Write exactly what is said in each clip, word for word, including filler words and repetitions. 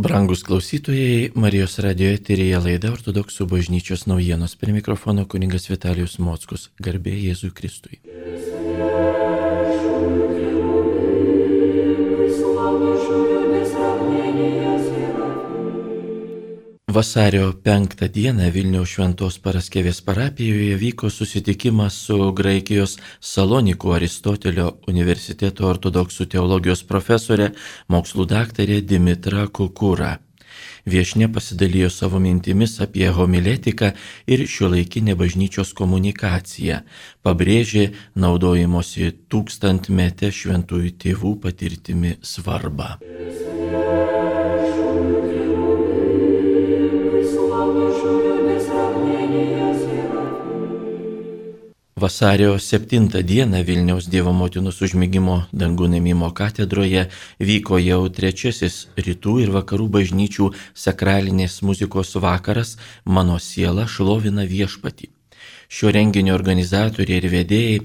Brangus klausytojai, Marijos radijo eteryje laida Ortodoksų bažnyčios naujienos. Prie mikrofono kunigas Vitalijus Mockus. Garbė Jėzui Kristui. Vasario penktą dieną Vilniaus Šventos Paraskevės parapijoje vyko susitikimas su Graikijos Salonikų Aristotelio universiteto ortodoksų teologijos profesorė, mokslų daktarė Dimitra Kukura. Viešnia pasidalijo savo mintimis apie homiletiką ir šiuolaikinę bažnyčios komunikaciją, pabrėžė naudojimosi tūkstantmete šventųjų tėvų patirtimi svarbą. Vasario septintą dieną Vilniaus Dievo Motinos užmigimo dangun ėmimo katedroje vyko jau trečiasis rytų ir vakarų bažnyčių sakralinės muzikos vakaras Mano siela šlovina viešpatį. Šio renginio organizatoriai ir vedėjai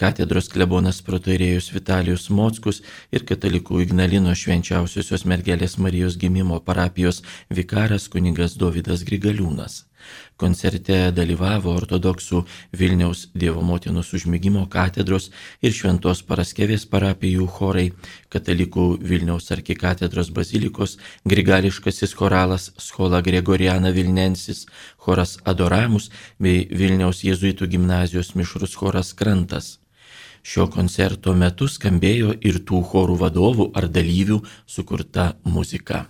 katedros klebonas protoirėjus Vitalijus Mockus ir katalikų Ignalino Švenčiausiosios Mergelės Marijos gimimo parapijos vikaras kunigas Dovydas Grigaliūnas. Koncerte dalyvavo ortodoksų Vilniaus Dievo Motinos užmigimo katedros ir Šventos Paraskevės parapijų chorai, katalikų Vilniaus arkikatedros bazilikos grigališkasis choralas Schola Gregoriana Vilnensis, choras Adoramus bei Vilniaus jėzuitų gimnazijos mišrus choras Krantas. Šio koncerto metu skambėjo ir tų chorų vadovų ar dalyvių sukurta muzika.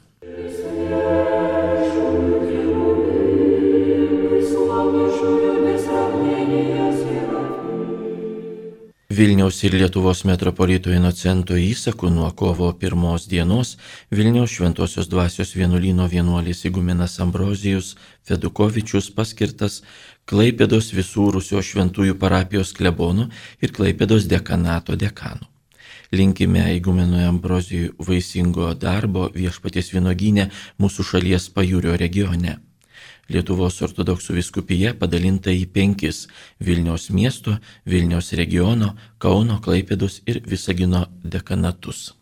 Vilniaus ir Lietuvos metropolito Inocento įsaku nuo kovo pirmos dienos Vilniaus Šventosios Dvasios vienuolyno vienuolis igumenas Ambrozijus Fedukovičius paskirtas Klaipėdos visų Rusijos šventųjų parapijos klebonų ir Klaipėdos dekanato dekanu. Linkime igumenui Ambrozijui vaisingo darbo Viešpaties vynuogyne mūsų šalies pajūrio regione. Lietuvos ortodoksų vyskupija padalinta į penkis Vilniaus miesto, Vilniaus regiono, Kauno, Klaipėdos ir Visagino dekanatus.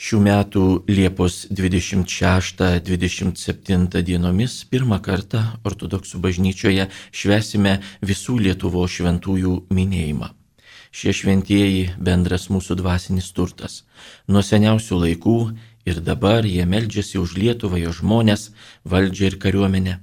Šių metų Liepos dvidešimt šeštą dvidešimt septintą dienomis pirmą kartą ortodoksų bažnyčioje švęsime visų Lietuvos šventųjų minėjimą. Šie šventieji bendras mūsų dvasinis turtas. Nuo seniausių laikų ir dabar jie meldžiasi už Lietuvą, jo žmones, valdžią ir kariuomenę.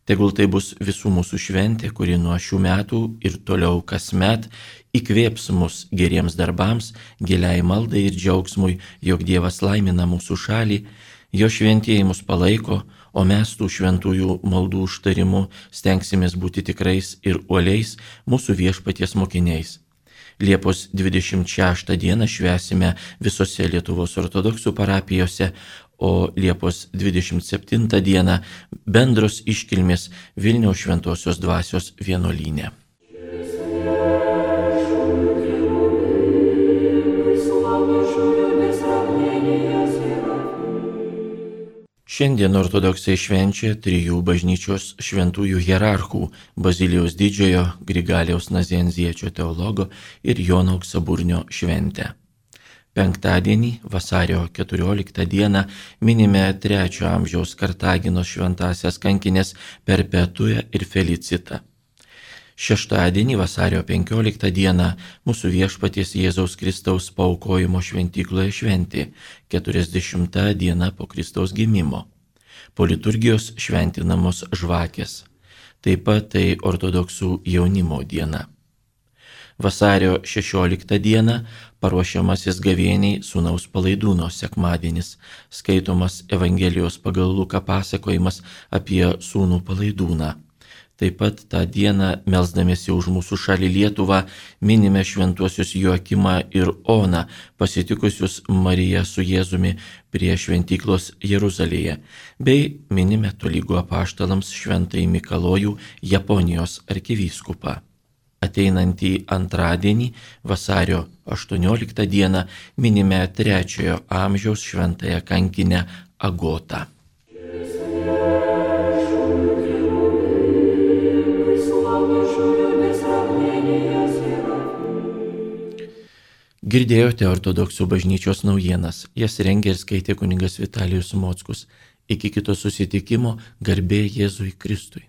Tegul tai bus visų mūsų šventė, kuri nuo šių metų ir toliau kasmet įkvėps mus geriems darbams, giliai maldai ir džiaugsmui, jog Dievas laimina mūsų šalį, jo šventieji mus palaiko, o mes tų šventųjų maldų užtarimu stengsimės būti tikrais ir uoliais mūsų viešpaties mokiniais. Liepos dvidešimt šeštą dieną švęsime visose Lietuvos ortodoksų parapijose, o Liepos dvidešimt septintą dieną bendros iškilmės Vilniaus Šventosios Dvasios vienuolyne. Šiandien ortodoksai švenčia trijų bažnyčios šventųjų hierarchų – Bazilijaus didžiojo, Grigaliaus Nazianziečio teologo ir Jono Auksaburnio šventę. Penktadienį, vasario keturioliktą dieną, minime trečio amžiaus Kartaginos šventąsias kankinės Perpetują ir Felicitą. Šeštadienį, vasario penkioliktą dieną, mūsų viešpaties Jėzaus Kristaus paaukojimo šventykloje šventė, keturiasdešimta diena po Kristaus gimimo. Po liturgijos šventinamos žvakės. Taip pat tai ortodoksų jaunimo diena. Vasario šešioliktą dieną paruošiamasis gavėniai sūnaus Palaidūno sekmadienis, skaitomas Evangelijos pagal Luką pasakojimas apie sūnų Palaidūną. Taip pat tą dieną, melsdamiesi už mūsų šalį Lietuvą, minime šventuosius Joakimą ir Oną, pasitikusius Mariją su Jėzumi prie šventyklos Jeruzalėje, bei minime tolygu apaštalams šventąjį Mikalojų, Japonijos arkivyskupą. Ateinantį antradienį, vasario aštuonioliktą dieną, minime trečiojo amžiaus šventąją kankinę Agotą. Amen. Girdėjote ortodoksų bažnyčios naujienas, jas rengė ir skaitė kunigas Vitalijus Mockus. Iki kito susitikimo, garbė Jėzui Kristui.